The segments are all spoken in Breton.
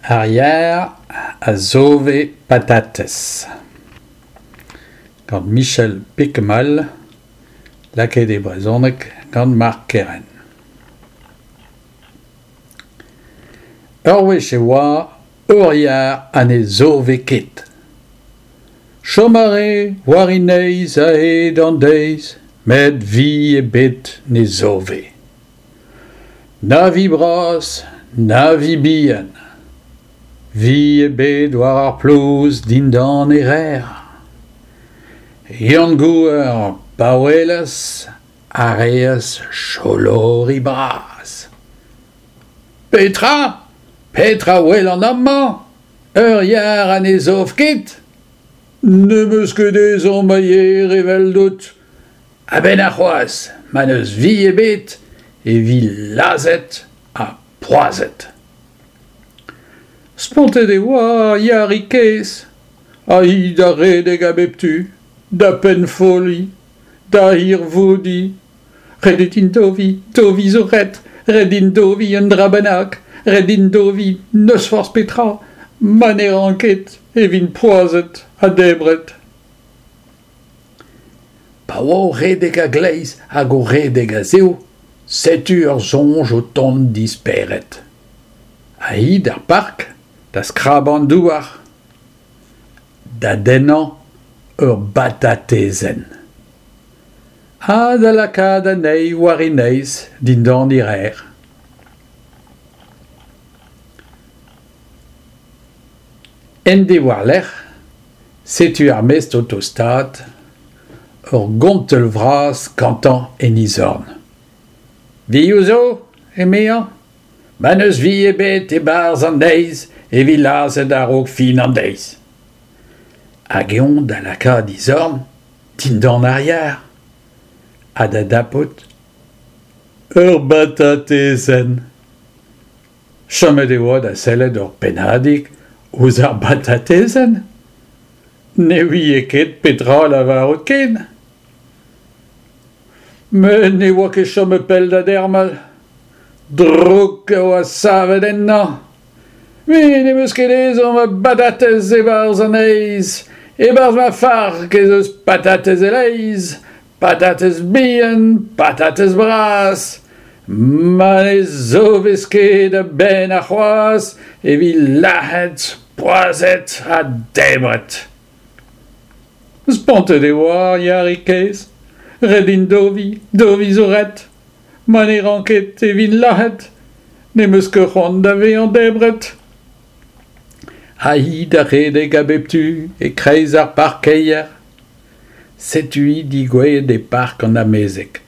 Ar yar a zove patatez gant Michel Piquemal, lakaet e brezhoneg gant Mark Kerrain. Ur wech e oa ur yar ha ne zove ket. Chom a rae war he neizh a-hed an deiz met vi ebet ne zove. Na vi bras, na vi bihan. Vi ebet war ar plouz dindan e rer. Yann Gouer, pa welas, a reas cholori bras. Petra ? Petra 'welan amañ ? Ur yar ha ne zov ket ? Ne'm eus ket ezhomm a yer eveldout. A-benn arc'hoazh, ma n'eus vi ebet, e vi lazhet ha poazhet. Spontet e oa ar yarig kaezh, ha hi da redek a bep tu, da pennfolliñ, da hirvoudiñ. Ret eo din doviñ, doviñ zo ret, ret din doviñ un dra bennak, ret din doviñ n'eus forzh petra, ma ne ran ket e vin poazhet ha debret. Pa oa o redek a-gleiz hag o redek a-zehou, setu ur soñj o tont d'he spered. Ha hi d'ar park da skrabañ an douar, da dennañ ur batatezenn. Ha da lakaat anezhi war he neizh dindan he rer. En deiz war-lerc'h, setu ar mestr o tostaat, ur gontell vras gantañ en e zorn. Vioù zo, emezañ, ma n'eus vi ebet e-barzh an deiz e vi lazhet a-raok fin an deiz. Hag eñ da lakaat e zorn dindan ar yar ha da dapout ur batatezenn. Chomet e oa da sellet ur pennadig ouzh ar batatezenn. Ne ouie ket petra lavarout ken. Met ne oa ket chomet pell da dermal. Drouk a oa savet ennañ. Me n'em eus ket ezhomm a batatez e-barzh an heiz. E-barzh ma fark ez eus patatez e-leizh. Patatez bihan, patatez bras. Ma ne zovez ket a-benn arc'hoazh e vi lazhet, poazhet ha debret. Spontet e oa ar yarig kaezh. Ret din doviñ, doviñ zo ret. Ma ne ran ket e vin lazhet. Ne'm eus ket c'hoant da vezañ debret. Ha hi da redek a bep tu e-kreiz ar parkeier. Setu-hi degouezhet e park an amezeg.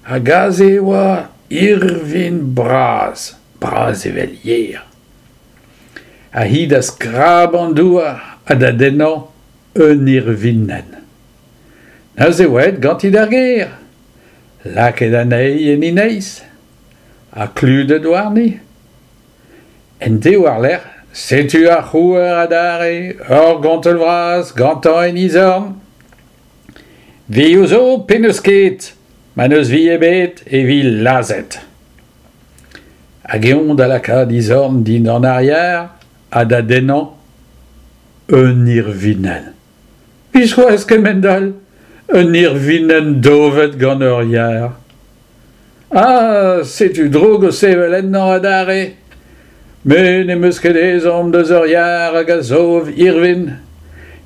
Hag aze e oa irvin bras, bras evel yer. Ha hi da skrabañ an douar ha da dennañ un irvinenn. Neuze e oa aet ganti d'ar gêr, lakaet anezhi en he neizh ha kludet warni. En deiz war-lerc'h, setu ar c'houer adarre, ur gontell vras gantañ en e zorn. Vioù zo pe n'eus ket, ma n'eus vi ebet e vi lazhet. Hag eñ da lakaat e zorn dindan ar yar ha da dennañ un irvinenn. Biskoazh kemend-all, un irvinenn dovet gant ur yar. Ah, setu droug o sevel ennañ adarre. Me n'em eus ket ezhomm deus ur yar hag a zov irvin.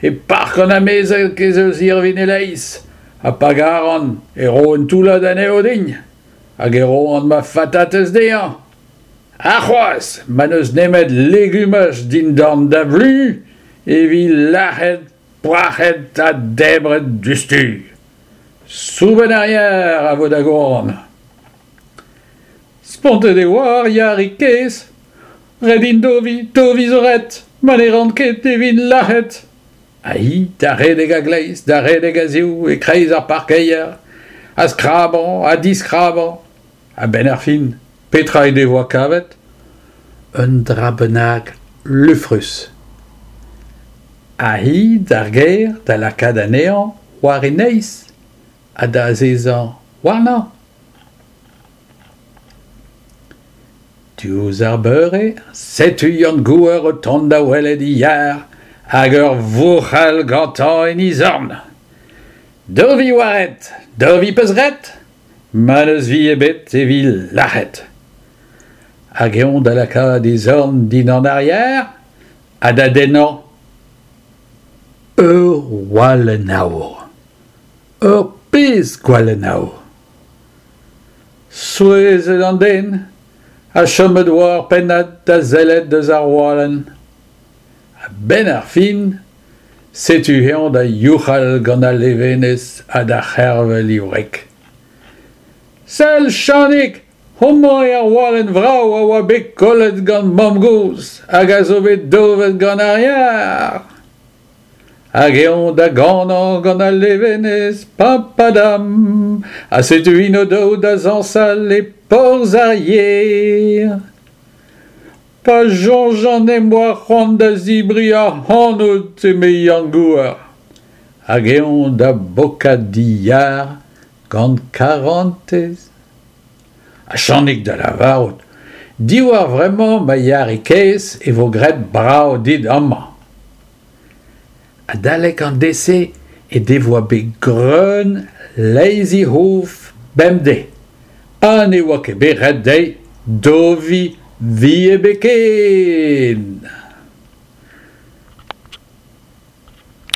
E park an amezeg ez eus irvin e-leizh, ha pa garan e ro un toullad anezho din, hag e roan ma fatatez dezhañ. Ha c'hoazh, ma n'eus nemet legumaj dindan da vlu e vi lazhet, poazhet ha debret diouzhtu. Soubenn ar yar a vo da goan. Spontet e oa ar yarig kaezh. Ret int doviñ, doviñ zo ret, ma ne ran ket e vin lazhet. Ha hi da redek a-gleiz, da redek a-zehoù e-kreiz ar parkeier, ha skrabañ ha diskrabañ. A-benn ar fin, petra he devoa kavet ? Un dra bennak lufrus. Ha hi d'ar gêr da lakaat anezhañ war he neizh ha da azezañ warnañ. Diouzh ar beure, setu Yann Gouer o tont da welet e yar hag ur vouc'hal gantañ en e zorn. Dovi 'oa ret, dovi 'peus graet? Ma n'eus vi ebet e vi lac'het. Hag eñ da lakaat e zorn dindan ar yar ha da dennañ ur walenn aour. Ur pezh gwalenn aour. Souezhet an den ha chomet 'oa ur pennad da sellet deus ar walenn. A-benn ar fin, setu eñ da youc'hal gant al levenez ha da c'hervel e wreg. Sell, Chanig, homañ eo ar walenn vrav a oa bet kollet gant mamm-gozh hag a zo bet dovet gant ar yar. Hag eñ da ganañ gant al levenez papadam ha setu int o-daou da zañsal e porzh ar yer. Pa soñjan em boa c'hoant da zebriñ ac'hanout eme Yann Gouar. Hag eñ da bokat d'e yar gant karantez. Ha Chanig da lavarout diwar vremañ ma yarig kaezh e vo graet brav dit amañ. Adalek an deiz-se he devoa bet greun leizh he c'hof bemdez ha ne oa ket bet ret dezhi doviñ vi ebet ken.